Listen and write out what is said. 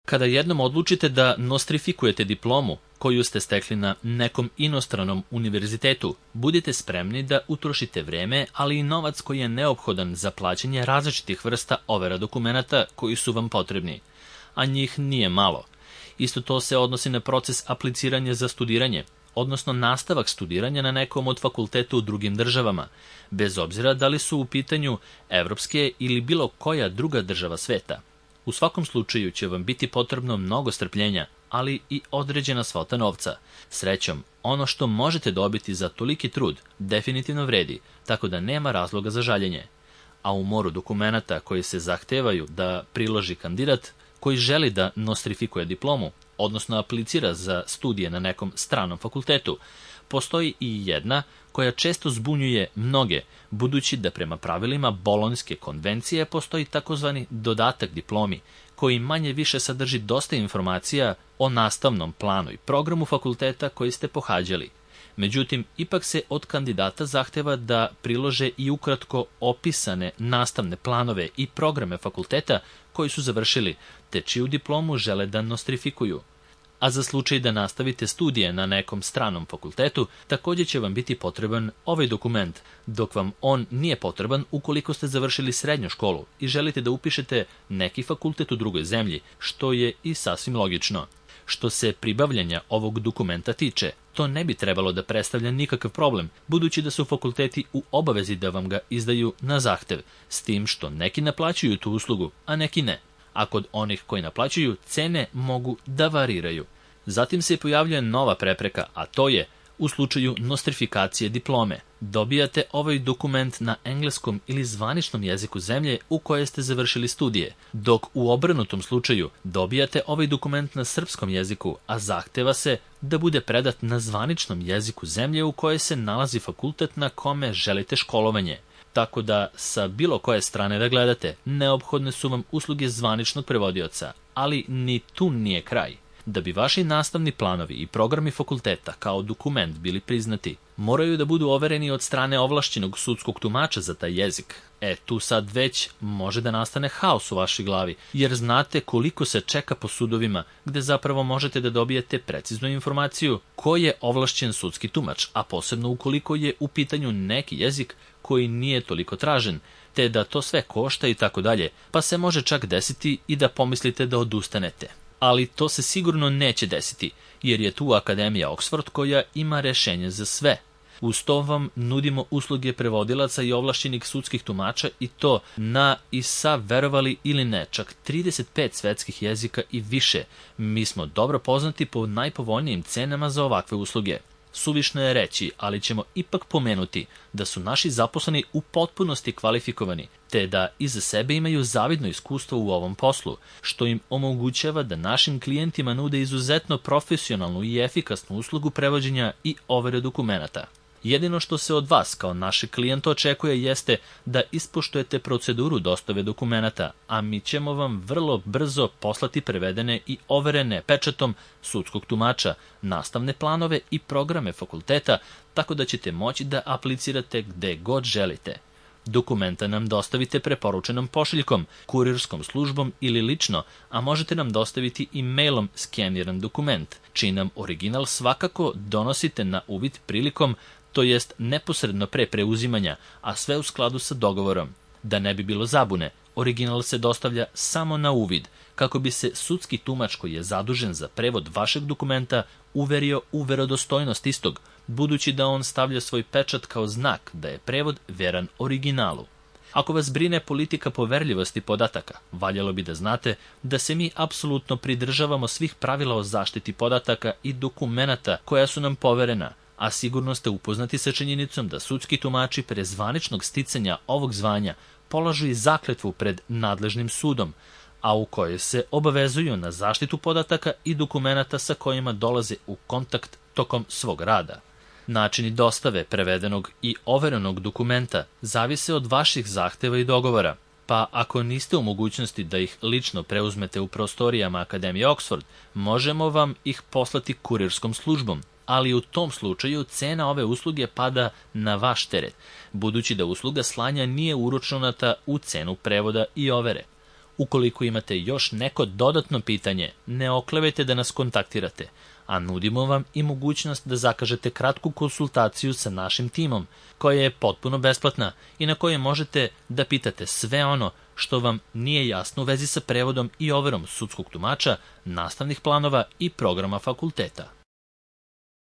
Kada jednom odlučite da nostrifikujete diplomu koju ste stekli na nekom inostranom univerzitetu, budite spremni da utrošite vreme, ali i novac koji je neophodan za plaćanje različitih vrsta overa dokumenata koji su vam potrebni, a njih nije malo. Isto to se odnosi na proces apliciranja za studiranje, odnosno nastavak studiranja na nekom od fakulteta u drugim državama, bez obzira da li su u pitanju evropske ili bilo koja druga država sveta. U svakom slučaju će vam biti potrebno mnogo strpljenja, ali i određena svota novca. Srećom, ono što možete dobiti za toliki trud definitivno vredi, tako da nema razloga za žaljenje. A u moru dokumenata koji se zahtevaju da priloži kandidat koji želi da nostrifikuje diplomu, odnosno aplicira za studije na nekom stranom fakultetu, postoji i jedna koja često zbunjuje mnoge, budući da prema pravilima Bolonjske konvencije postoji takozvani dodatak diplomi, koji manje više sadrži dosta informacija o nastavnom planu i programu fakulteta koji ste pohađali. Međutim, ipak se od kandidata zahteva da prilože i ukratko opisane nastavne planove i programe fakulteta koji su završili, te čiju diplomu žele da nostrifikuju. A za slučaj da nastavite studije na nekom stranom fakultetu, također će vam biti potreban ovaj dokument, dok vam on nije potreban ukoliko ste završili srednju školu i želite da upišete neki fakultet u drugoj zemlji, što je i sasvim logično. Što se pribavljanja ovog dokumenta tiče, to ne bi trebalo da predstavlja nikakav problem, budući da su fakulteti u obavezi da vam ga izdaju na zahtev, s tim što neki naplaćuju tu uslugu, a neki ne. A kod onih koji naplaćuju, cene mogu da variraju. Zatim se pojavljuje nova prepreka, a to je u slučaju nostrifikacije diplome. Dobijate ovaj dokument na engleskom ili zvaničnom jeziku zemlje u kojoj ste završili studije, dok u obrnutom slučaju dobijate ovaj dokument na srpskom jeziku, a zahteva se da bude predat na zvaničnom jeziku zemlje u kojoj se nalazi fakultet na kome želite školovanje. Tako da, sa bilo koje strane da gledate, neophodne su vam usluge zvaničnog prevodioca, ali ni tu nije kraj. Da bi vaši nastavni planovi i programi fakulteta kao dokument bili priznati, moraju da budu overeni od strane ovlašćenog sudskog tumača za taj jezik. Tu sad već može da nastane haos u vašoj glavi, jer znate koliko se čeka po sudovima, gde zapravo možete da dobijete preciznu informaciju ko je ovlašćen sudski tumač, a posebno ukoliko je u pitanju neki jezik koji nije toliko tražen, te da to sve košta i tako dalje, pa se može čak desiti i da pomislite da odustanete. Ali to se sigurno neće desiti, jer je tu Akademija Oxford koja ima rešenje za sve. Uz to vam nudimo usluge prevodilaca i ovlašćenih sudskih tumača i to na i sa, verovali ili ne, čak 35 svetskih jezika i više. Mi smo dobro poznati po najpovoljnijim cenama za ovakve usluge. Suvišno je reći, ali ćemo ipak pomenuti da su naši zaposleni u potpunosti kvalifikovani, te da iza sebe imaju zavidno iskustvo u ovom poslu, što im omogućava da našim klijentima nude izuzetno profesionalnu i efikasnu uslugu prevođenja i overe dokumenata. Jedino što se od vas kao našeg klijenta očekuje jeste da ispoštujete proceduru dostave dokumenata, a mi ćemo vam vrlo brzo poslati prevedene i overene pečatom sudskog tumača, nastavne planove i programe fakulteta, tako da ćete moći da aplicirate gde god želite. Dokumenta nam dostavite preporučenom pošiljkom, kurirskom službom ili lično, a možete nam dostaviti i mailom skeniran dokument, čiji nam original svakako donosite na uvid prilikom, to jest neposredno pre preuzimanja, a sve u skladu sa dogovorom. Da ne bi bilo zabune, original se dostavlja samo na uvid, kako bi se sudski tumač koji je zadužen za prevod vašeg dokumenta uverio u verodostojnost istog, budući da on stavlja svoj pečat kao znak da je prevod veran originalu. Ako vas brine politika poverljivosti podataka, valjalo bi da znate da se mi apsolutno pridržavamo svih pravila o zaštiti podataka i dokumenata koja su nam poverena, a sigurno ste upoznati sa činjenicom da sudski tumači pre zvaničnog sticanja ovog zvanja polažu i zakletvu pred nadležnim sudom, a u kojoj se obavezuju na zaštitu podataka i dokumenata sa kojima dolaze u kontakt tokom svog rada. Načini dostave prevedenog i overenog dokumenta zavise od vaših zahteva i dogovora, pa ako niste u mogućnosti da ih lično preuzmete u prostorijama Akademije Oxford, možemo vam ih poslati kurirskom službom, ali u tom slučaju cena ove usluge pada na vaš teret, budući da usluga slanja nije uračunata u cenu prevoda i overe. Ukoliko imate još neko dodatno pitanje, ne oklevajte da nas kontaktirate, a nudimo vam i mogućnost da zakažete kratku konsultaciju sa našim timom, koja je potpuno besplatna i na kojoj možete da pitate sve ono što vam nije jasno u vezi sa prevodom i overom sudskog tumača, nastavnih planova i programa fakulteta.